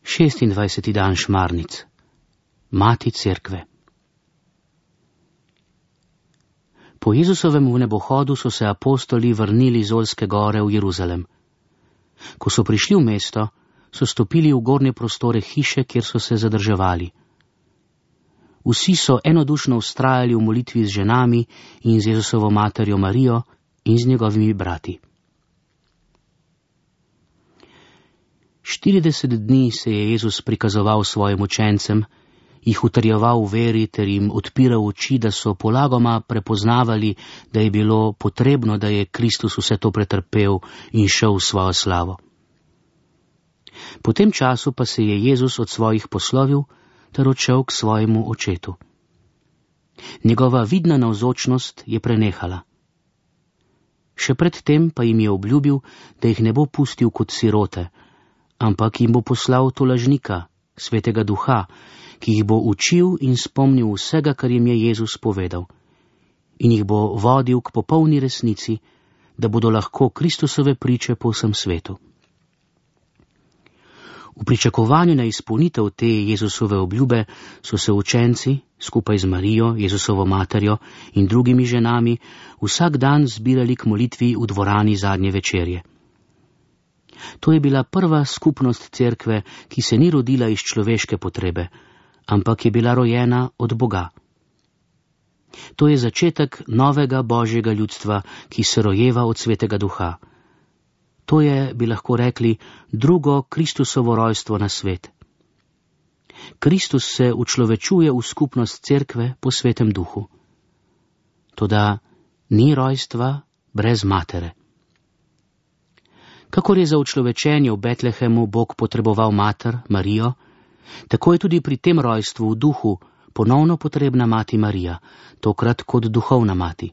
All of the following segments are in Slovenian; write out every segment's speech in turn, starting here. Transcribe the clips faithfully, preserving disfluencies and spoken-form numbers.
šestindvajseti dan Šmarnic. Mati Cerkve. Po Jezusovem vnebohodu so se apostoli vrnili z Olske gore v Jeruzalem. Ko so prišli v mesto, so stopili v gornje prostore hiše, kjer so se zadrževali. Vsi so enodušno vztrajali v molitvi z ženami in z Jezusovo materjo Marijo in z njegovimi brati. Štirideset dni se je Jezus prikazoval svojim učencem, jih utrjeval v veri ter jim odpiral oči, da so polagoma prepoznavali, da je bilo potrebno, da je Kristus vse to pretrpel in šel v svojo slavo. Po tem času pa se je Jezus od svojih poslovil ter odšel k svojemu očetu. Njegova vidna navzočnost je prenehala. Še pred tem pa jim je obljubil, da jih ne bo pustil kot sirote, ampak jim bo poslal tolažnika, Svetega Duha, ki jih bo učil in spomnil vsega, kar jim je Jezus povedal, in jih bo vodil k popolni resnici, da bodo lahko Kristusove priče po vsem svetu. V pričakovanju na izpolnitev te Jezusove obljube so se učenci, skupaj z Marijo, Jezusovo materjo in drugimi ženami, vsak dan zbirali k molitvi v dvorani zadnje večerje. To je bila prva skupnost Cerkve, ki se ni rodila iz človeške potrebe, ampak je bila rojena od Boga. To je začetek novega Božjega ljudstva, ki se rojeva od Svetega Duha. To je, bi lahko rekli, drugo Kristusovo rojstvo na svet. Kristus se učlovečuje v skupnost Cerkve po Svetem Duhu. Toda ni rojstva brez matere. Kakor je za učlovečenje v Betlehemu Bog potreboval mater, Marijo, tako je tudi pri tem rojstvu v duhu ponovno potrebna mati Marija, tokrat kot duhovna mati.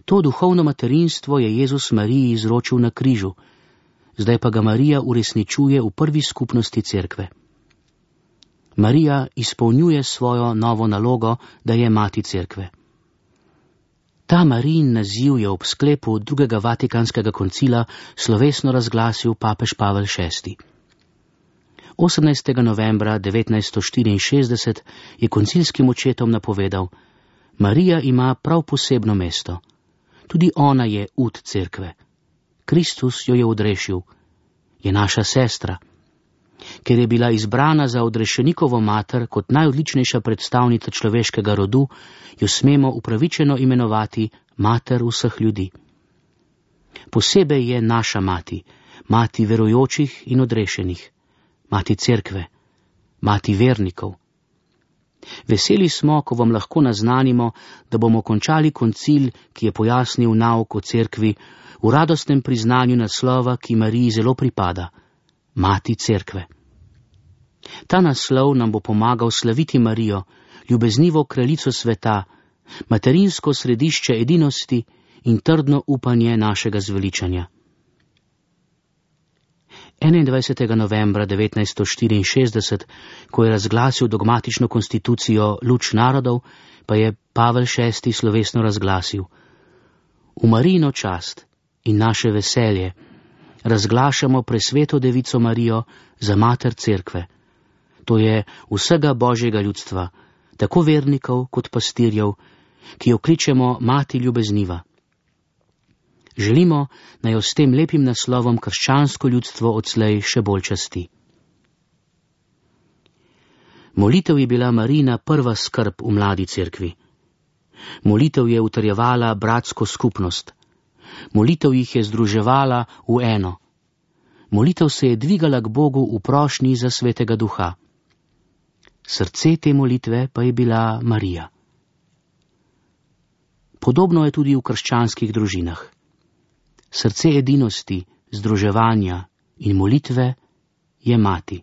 To duhovno materinstvo je Jezus Mariji izročil na križu, zdaj pa ga Marija uresničuje v prvi skupnosti Cerkve. Marija izpolnjuje svojo novo nalogo, da je mati Cerkve. Ta Marijin naziv je ob sklepu drugega Vatikanskega koncila slovesno razglasil papež Pavel šesti. osemnajstega novembra devetnajststo štiriinšestdeset je koncilskim očetom napovedal: Marija ima prav posebno mesto. Tudi ona je ud Cerkve. Kristus jo je odrešil. Je naša sestra. Ker je bila izbrana za odrešenikovo mater kot najodličnejša predstavnica človeškega rodu, jo smemo upravičeno imenovati mater vseh ljudi. Posebej je naša mati, mati verujočih in odrešenih, mati Cerkve, mati vernikov. Veseli smo, ko vam lahko naznanimo, da bomo končali koncil, ki je pojasnil nauk o Cerkvi, v radostnem priznanju naslova, ki Mariji zelo pripada, mati Cerkve. Ta naslov nam bo pomagal slaviti Marijo, ljubeznivo kraljico sveta, materinsko središče edinosti in trdno upanje našega zveličanja. enaindvajsetega novembra devetnajststo štiriinšestdeset, ko je razglasil dogmatično konstitucijo Luč narodov, pa je Pavel šesti slovesno razglasil: V Marijino čast in naše veselje razglašamo presveto devico Marijo za mater Cerkve. To je vsega Božjega ljudstva, tako vernikov kot pastirjev, ki jo kličemo mati ljubezniva. Želimo, naj jo s tem lepim naslovom krščansko ljudstvo odslej še bolj časti. Molitev je bila Marijina prva skrb v mladi Cerkvi. Molitev je utrjevala bratsko skupnost. Molitev jih je združevala v eno. Molitev se je dvigala k Bogu v prošnji za Svetega Duha. Srce te molitve pa je bila Marija. Podobno je tudi v krščanskih družinah. Srce edinosti, združevanja in molitve je mati.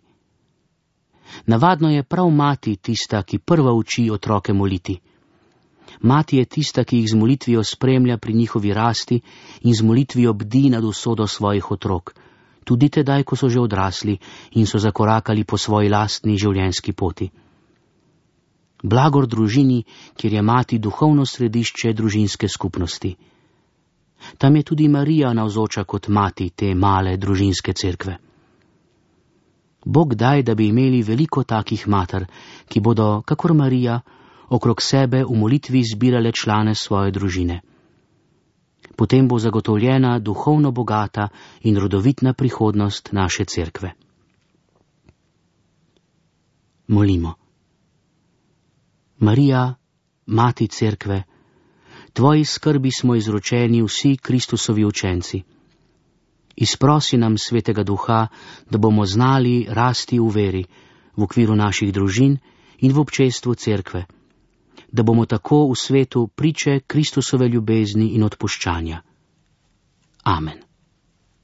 Navadno je prav mati tista, ki prva uči otroke moliti. Mati je tista, ki jih z molitvijo spremlja pri njihovi rasti in z molitvijo bdi nad usodo svojih otrok, tudi tedaj, ko so že odrasli in so zakorakali po svoji lastni življenjski poti. Blagor družini, kjer je mati duhovno središče družinske skupnosti. Tam je tudi Marija navzoča kot mati te male družinske cerkve. Bog daj, da bi imeli veliko takih mater, ki bodo, kakor Marija, okrog sebe v molitvi zbirale člane svoje družine. Potem bo zagotovljena duhovno bogata in rodovitna prihodnost naše cerkve. Molimo. Marija, Mati cerkve, tvoji skrbi smo izročeni vsi Kristusovi učenci. Izprosi nam Svetega Duha, da bomo znali rasti v veri, v okviru naših družin in v občestvu cerkve, da bomo tako v svetu priče Kristusove ljubezni in odpuščanja. Amen.